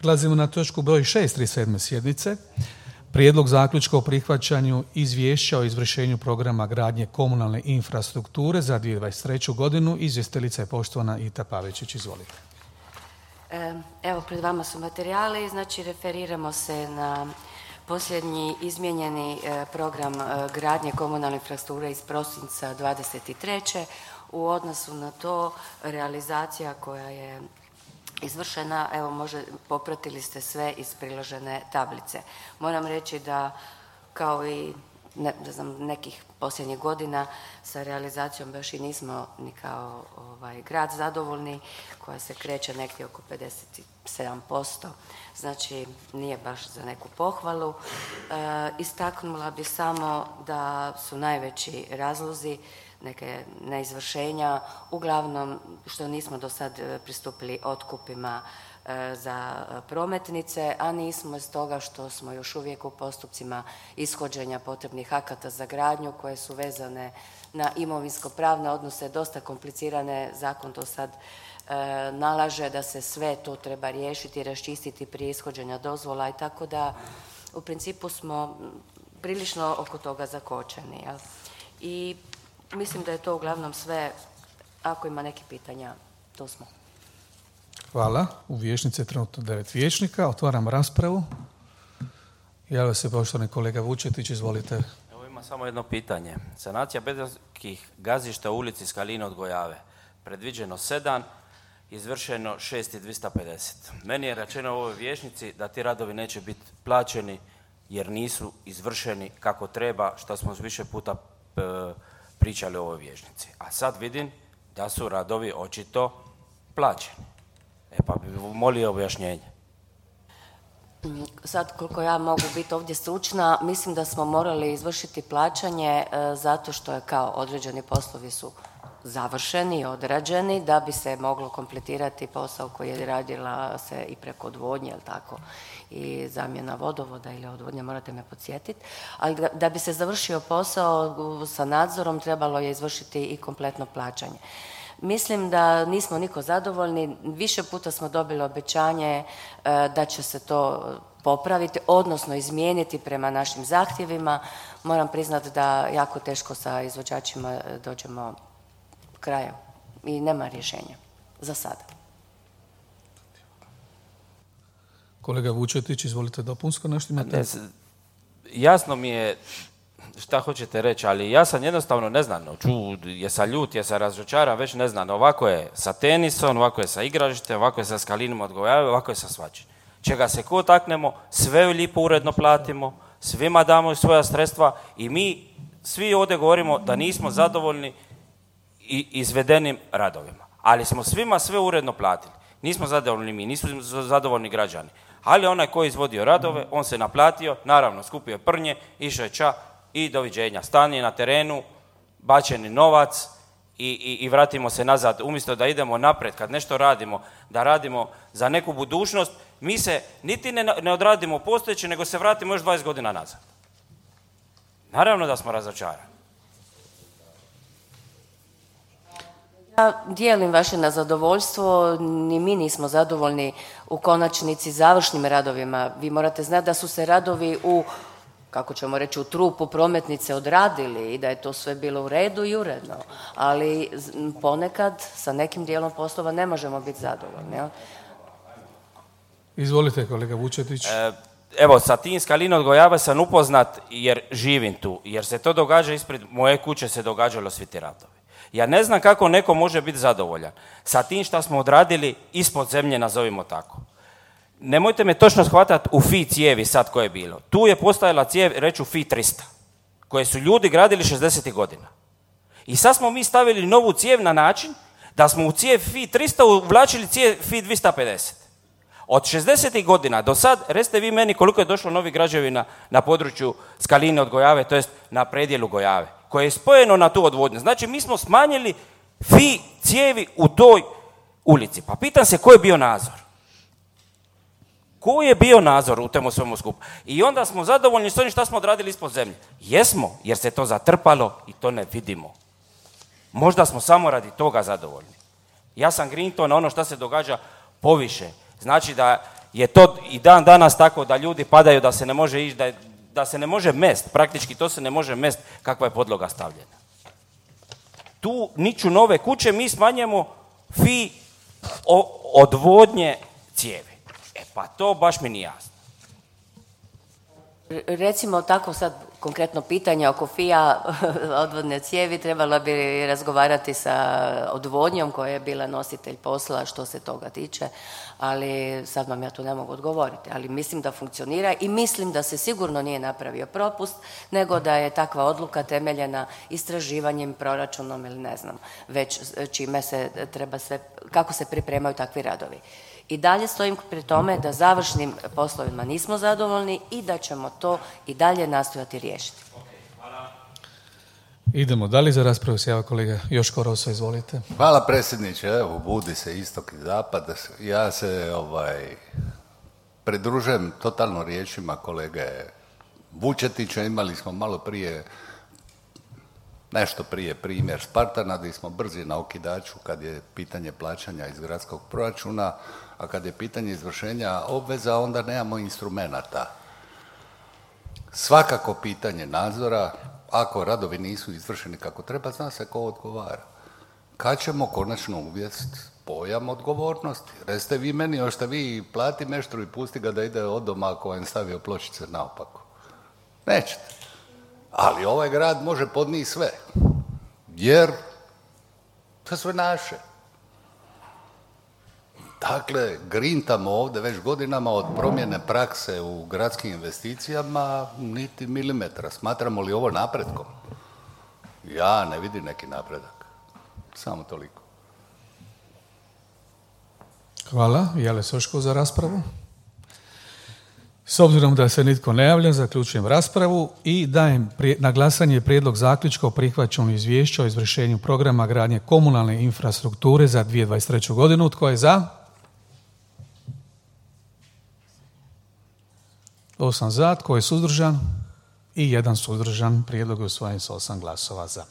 Prelazimo na točku broj 6 37. sjednice. Prijedlog zaključka o prihvaćanju izvješća o izvršenju programa gradnje komunalne infrastrukture za 2023. godinu. Izvjestiteljica je poštovana Ita Pavičić. Izvolite. Evo, pred vama su materijali. Znači, referiramo se na posljednji izmijenjeni program gradnje komunalne infrastrukture iz prosinca 2023. U odnosu na to realizacija koja je izvršena, evo popratili ste sve iz priložene tablice. Moram reći da kao i nekih posljednjih godina sa realizacijom baš i nismo ni kao grad zadovoljni, koja se kreće negdje oko 57%, znači nije baš za neku pohvalu. Istaknula bi samo da su najveći razlozi neke neizvršenja, uglavnom što nismo do sad pristupili otkupima za prometnice, a nismo iz toga što smo još uvijek u postupcima ishođenja potrebnih akata za gradnju koje su vezane na imovinsko-pravne odnose, dosta komplicirane. Zakon to sad nalaže da se sve to treba riješiti i raščistiti prije ishođenja dozvola i tako da u principu smo prilično oko toga zakočeni. Jel? I mislim da je to uglavnom sve. Ako ima neke pitanja, to smo. Hvala. U vijećnici je trenutno 9 vijećnika. Otvaram raspravu. Javlja se poštovani kolega Vučetić, izvolite. Evo ima samo jedno pitanje. Sanacija betonskih gazišta u ulici Skaline od Gojave. Predviđeno 7, izvršeno 6.250. Meni je rečeno u ovoj vijećnici da ti radovi neće biti plaćeni jer nisu izvršeni kako treba, što smo više puta pričali o ovoj vijećnici. A sad vidim da su radovi očito plaćeni. Pa bih molio objašnjenje. Sad, koliko ja mogu biti ovdje stručna, mislim da smo morali izvršiti plaćanje zato što je kao određeni poslovi su završeni i odrađeni da bi se moglo kompletirati posao koji je radila se i preko odvodnje, jel tako, i zamjena vodovoda ili odvodnje, morate me podsjetiti. Ali da bi se završio posao sa nadzorom trebalo je izvršiti i kompletno plaćanje. Mislim da nismo niko zadovoljni. Više puta smo dobili obećanje da će se to popraviti, odnosno izmijeniti prema našim zahtjevima. Moram priznati da jako teško sa izvođačima dođemo kraja i nema rješenja za sada. Kolega Vučetić, izvolite dopunsko nešto imate. Jasno mi je šta hoćete reći, ali ja sam jednostavno ne znam, jesam ljut, jesam razočaran, već ne znam. Ovako je sa tenisom, ovako je sa igralištem, ovako je sa Skalinom od Gojave, ovako je sa svačim. Čega se ko taknemo, sve lijepo uredno platimo, svima damo svoja sredstva i mi svi ovdje govorimo da nismo zadovoljni i izvedenim radovima. Ali smo svima sve uredno platili. Nismo zadovoljni mi, nismo zadovoljni građani. Ali onaj koji je izvodio radove, on se naplatio, naravno skupio prnje, išao je ča i doviđenja. Stan je na terenu, bačeni novac i vratimo se nazad. Umjesto da idemo napred, kad nešto radimo, da radimo za neku budućnost, mi se niti ne odradimo postojeće, nego se vratimo još 20 godina nazad. Naravno da smo razočarani. Ja dijelim vaše nezadovoljstvo, ni mi nismo zadovoljni u konačnici završnim radovima. Vi morate znati da su se radovi kako ćemo reći, u trupu prometnice odradili i da je to sve bilo u redu i uredno. Ali ponekad sa nekim dijelom poslova ne možemo biti zadovoljni. Ja? Izvolite, kolega Vučetić. Evo, sa tim Skalina od Gojave sam upoznat jer živim tu, jer se to događa ispred moje kuće, se događalo svi ti radovi. Ja ne znam kako neko može biti zadovoljan sa tim što smo odradili ispod zemlje, nazovimo tako. Nemojte me točno shvatati u FI cijevi sad koje je bilo. Tu je postojala cijev, reću FI 300, koje su ljudi gradili 60. godina. I sad smo mi stavili novu cijev na način da smo u cijev FI 300 uvlačili cijev FI 250. Od 60. godina do sad, recite vi meni koliko je došlo novih građevina na području Skaline od Gojave, to jest na predjelu Gojave, koje je spojeno na tu odvodnju. Znači, mi smo smanjili FI cijevi u toj ulici. Pa pitam se, ko je bio nadzor? Ko je bio nadzor u temu svemu skupu? I onda smo zadovoljni s onim što smo odradili ispod zemlje. Jesmo, jer se to zatrpalo i to ne vidimo. Možda smo samo radi toga zadovoljni. Ja sam grinto na ono što se događa poviše. Znači da je to i dan danas tako da ljudi padaju, da se ne može ići, da se ne može mest, praktički to se ne može mest kakva je podloga stavljena. Tu niču nove kuće, mi smanjujemo fi odvodnje cijevi. Pa to baš mi nije jasno. Recimo tako sad konkretno pitanje oko FIA odvodne cijevi, trebalo bi razgovarati sa odvodnjom koja je bila nositelj posla što se toga tiče, ali sad vam ja tu ne mogu odgovoriti, ali mislim da funkcionira i mislim da se sigurno nije napravio propust, nego da je takva odluka temeljena istraživanjem, proračunom ili ne znam, već čime se treba sve, kako se pripremaju takvi radovi. I dalje stojim pri tome da završnim poslovima nismo zadovoljni i da ćemo to i dalje nastojati riješiti. Idemo dalje, za raspravu se java kolega Joško Roso, izvolite. Hvala predsjedniče, evo budi se istok i zapad. Ja se pridružujem totalno riječima kolege Vučetića. Imali smo malo prije, nešto prije primjer Spartana, gdje smo brzi na okidaču kad je pitanje plaćanja iz gradskog proračuna, a kad je pitanje izvršenja obveza, onda nemamo instrumenata. Svakako pitanje nadzora, ako radovi nisu izvršeni kako treba, zna se ko odgovara. Kad ćemo konačno uvesti pojam odgovornosti? Recite vi meni, hoćete vi plati meštru i pusti ga da ide od doma ako vam stavio pločice naopako? Nećete. Ali ovaj grad može podnijeti sve, jer to je sve naše. Dakle, grintamo ovdje već godinama od promjene prakse u gradskim investicijama niti milimetra. Smatramo li ovo napretkom? Ja ne vidim neki napredak. Samo toliko. Hvala. Jale Soško za raspravu. S obzirom da se nitko ne javlja, zaključujem raspravu i dajem na glasanje prijedlog zaključka o prihvaćanju izvješća o izvršenju programa gradnje komunalne infrastrukture za 2023. godinu. Tko je za? 8 za. Tko je suzdržan? I 1 suzdržan. Prijedlog je usvojen s 8 glasova za.